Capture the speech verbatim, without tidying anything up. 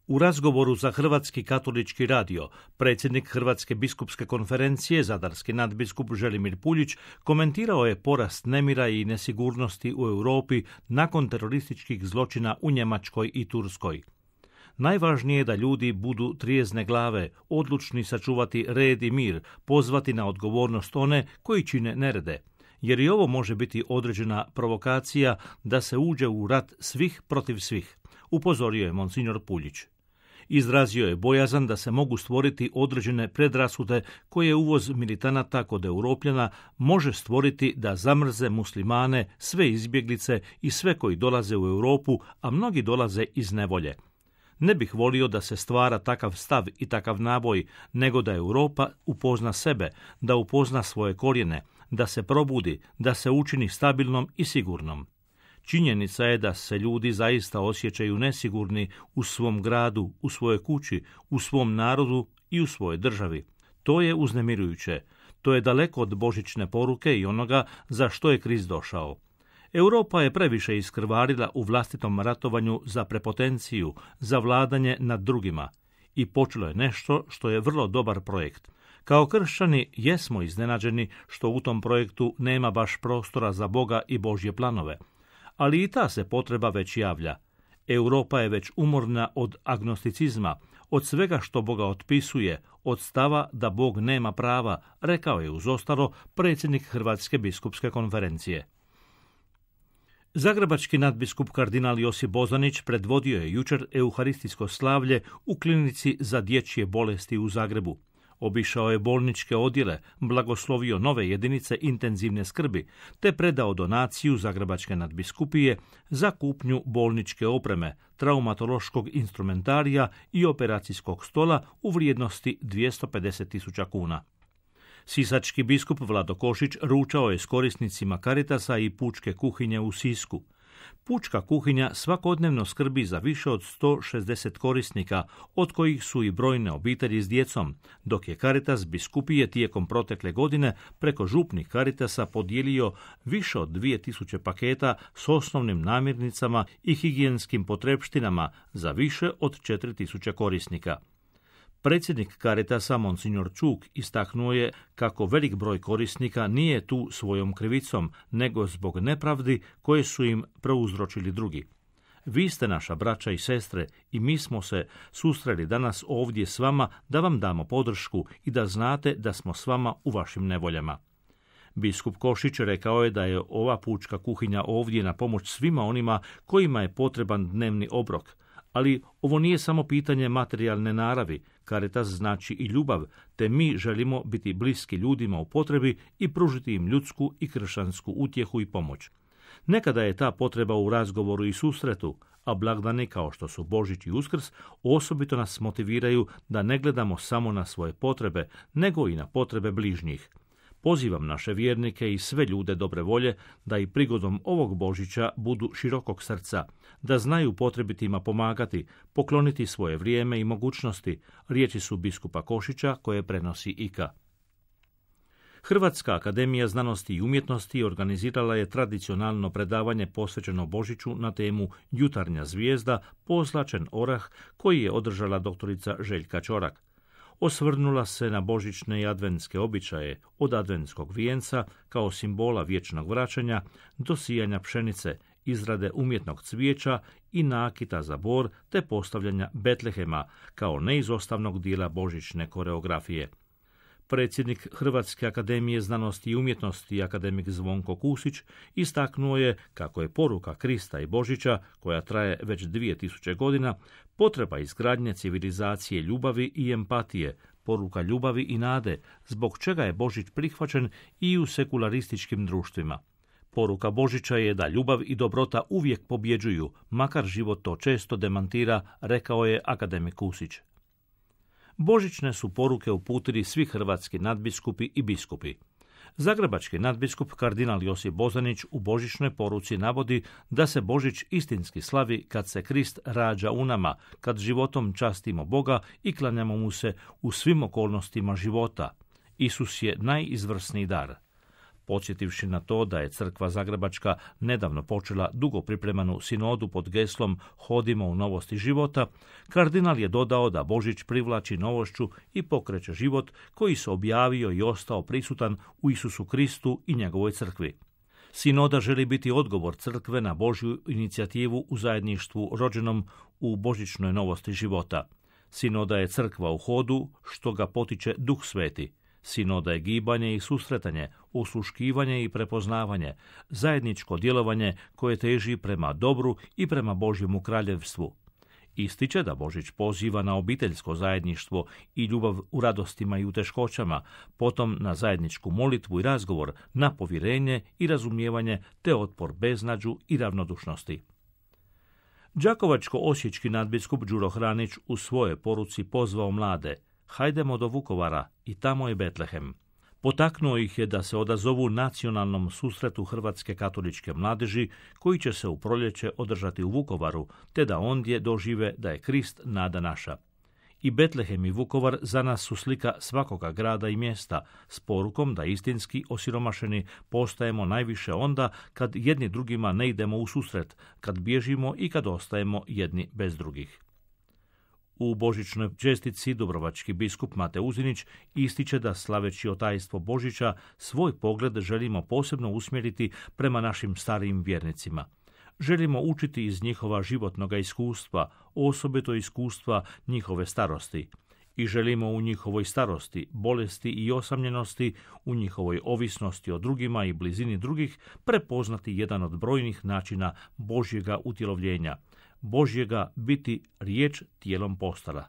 U razgovoru za Hrvatski katolički radio, predsjednik Hrvatske biskupske konferencije, zadarski nadbiskup Želimir Puljić, komentirao je porast nemira i nesigurnosti u Europi nakon terorističkih zločina u Njemačkoj i Turskoj. Najvažnije je da ljudi budu trijezne glave, odlučni sačuvati red i mir, pozvati na odgovornost one koji čine nerede, jer i ovo može biti određena provokacija da se uđe u rat svih protiv svih, upozorio je monsignor Puljić. Izrazio je bojazan da se mogu stvoriti određene predrasude koje uvoz militanata kod Europljana može stvoriti da zamrze muslimane, sve izbjeglice i sve koji dolaze u Europu, a mnogi dolaze iz nevolje. Ne bih volio da se stvara takav stav i takav naboj, nego da Europa upozna sebe, da upozna svoje korijene, da se probudi, da se učini stabilnom i sigurnom. Činjenica je da se ljudi zaista osjećaju nesigurni u svom gradu, u svojoj kući, u svom narodu i u svojoj državi. To je uznemirujuće. To je daleko od božićne poruke i onoga za što je Krist došao. Europa je previše iskrvarila u vlastitom ratovanju za prepotenciju, za vladanje nad drugima. I počelo je nešto što je vrlo dobar projekt. Kao kršćani jesmo iznenađeni što u tom projektu nema baš prostora za Boga i Božje planove. Ali i ta se potreba već javlja. Europa je već umorna od agnosticizma, od svega što Boga otpisuje, od stava da Bog nema prava, rekao je uz ostalo predsjednik Hrvatske biskupske konferencije. Zagrebački nadbiskup kardinal Josip Bozanić predvodio je jučer euharistijsko slavlje u klinici za dječje bolesti u Zagrebu. Obišao je bolničke odjele, blagoslovio nove jedinice intenzivne skrbi, te predao donaciju Zagrebačke nadbiskupije za kupnju bolničke opreme, traumatološkog instrumentarija i operacijskog stola u vrijednosti dvjesto pedeset tisuća kuna. Sisački biskup Vlado Košić ručao je s korisnicima Caritasa i pučke kuhinje u Sisku. Pučka kuhinja svakodnevno skrbi za više od sto šezdeset korisnika, od kojih su i brojne obitelji s djecom, dok je Caritas biskupije tijekom protekle godine preko župnih Caritasa podijelio više od dvije tisuće paketa s osnovnim namirnicama i higijenskim potrepštinama za više od četiri tisuće korisnika. Predsjednik Caritasa, monsignor Čuk, istaknuo je kako velik broj korisnika nije tu svojom krivicom, nego zbog nepravdi koje su im prouzročili drugi. Vi ste naša braća i sestre i mi smo se susreli danas ovdje s vama da vam damo podršku i da znate da smo s vama u vašim nevoljama. Biskup Košić rekao je da je ova pučka kuhinja ovdje na pomoć svima onima kojima je potreban dnevni obrok. Ali ovo nije samo pitanje materijalne naravi, Caritas znači i ljubav, te mi želimo biti bliski ljudima u potrebi i pružiti im ljudsku i kršćansku utjehu i pomoć. Nekada je ta potreba u razgovoru i susretu, a blagdani kao što su Božić i Uskrs osobito nas motiviraju da ne gledamo samo na svoje potrebe, nego i na potrebe bližnjih. Pozivam naše vjernike i sve ljude dobre volje da i prigodom ovog Božića budu širokog srca, da znaju potrebitima pomagati, pokloniti svoje vrijeme i mogućnosti, riječi su biskupa Košića koje prenosi I K A. Hrvatska akademija znanosti i umjetnosti organizirala je tradicionalno predavanje posvećeno Božiću na temu Jutarnja zvijezda, pozlačen orah, koji je održala doktorica Željka Ćorak. Osvrnula se na božićne i adventske običaje, od adventskog vijenca kao simbola vječnog vraćanja do sijanja pšenice, izrade umjetnog cvijeća i nakita za bor te postavljanja Betlehema kao neizostavnog dijela božićne koreografije. Predsjednik Hrvatske akademije znanosti i umjetnosti akademik Zvonko Kusić istaknuo je kako je poruka Krista i Božića, koja traje već dvije tisuće godina, potreba izgradnje civilizacije ljubavi i empatije, poruka ljubavi i nade, zbog čega je Božić prihvaćen i u sekularističkim društvima. Poruka Božića je da ljubav i dobrota uvijek pobjeđuju, makar život to često demantira, rekao je akademik Kusić. Božićne su poruke uputili svi hrvatski nadbiskupi i biskupi. Zagrebački nadbiskup kardinal Josip Bozanić u božićnoj poruci navodi da se Božić istinski slavi kad se Krist rađa u nama, kad životom častimo Boga i klanjamo mu se u svim okolnostima života. Isus je najizvrsniji dar. Podsjetivši na to da je crkva zagrebačka nedavno počela dugo pripremanu sinodu pod geslom Hodimo u novosti života, kardinal je dodao da Božić privlači novošću i pokreće život koji se objavio i ostao prisutan u Isusu Kristu i njegovoj crkvi. Sinoda želi biti odgovor crkve na Božju inicijativu u zajedništvu rođenom u božićnoj novosti života. Sinoda je crkva u hodu, što ga potiče Duh Sveti. Sinoda je gibanje i susretanje, osluškivanje i prepoznavanje, zajedničko djelovanje koje teži prema dobru i prema Božjemu kraljevstvu. Ističe da Božić poziva na obiteljsko zajedništvo i ljubav u radostima i u teškoćama, potom na zajedničku molitvu i razgovor, na povjerenje i razumijevanje te otpor beznađu i ravnodušnosti. Đakovačko-osječki nadbiskup Đuro Hranić u svojoj poruci pozvao mlade: hajdemo do Vukovara i tamo je Betlehem. Potaknuo ih je da se odazovu nacionalnom susretu hrvatske katoličke mladeži koji će se u proljeće održati u Vukovaru, te da ondje dožive da je Krist nada naša. I Betlehem i Vukovar za nas su slika svakoga grada i mjesta, s porukom da istinski osiromašeni postajemo najviše onda kad jedni drugima ne idemo u susret, kad bježimo i kad ostajemo jedni bez drugih. U božićnoj čestici dubrovački biskup Mate Uzinić ističe da slaveći otajstvo Božića svoj pogled želimo posebno usmjeriti prema našim starijim vjernicima. Želimo učiti iz njihova životnoga iskustva, osobito iskustva njihove starosti. I želimo u njihovoj starosti, bolesti i osamljenosti, u njihovoj ovisnosti o drugima i blizini drugih prepoznati jedan od brojnih načina Božjega utjelovljenja, Božjega biti riječ tijelom postala.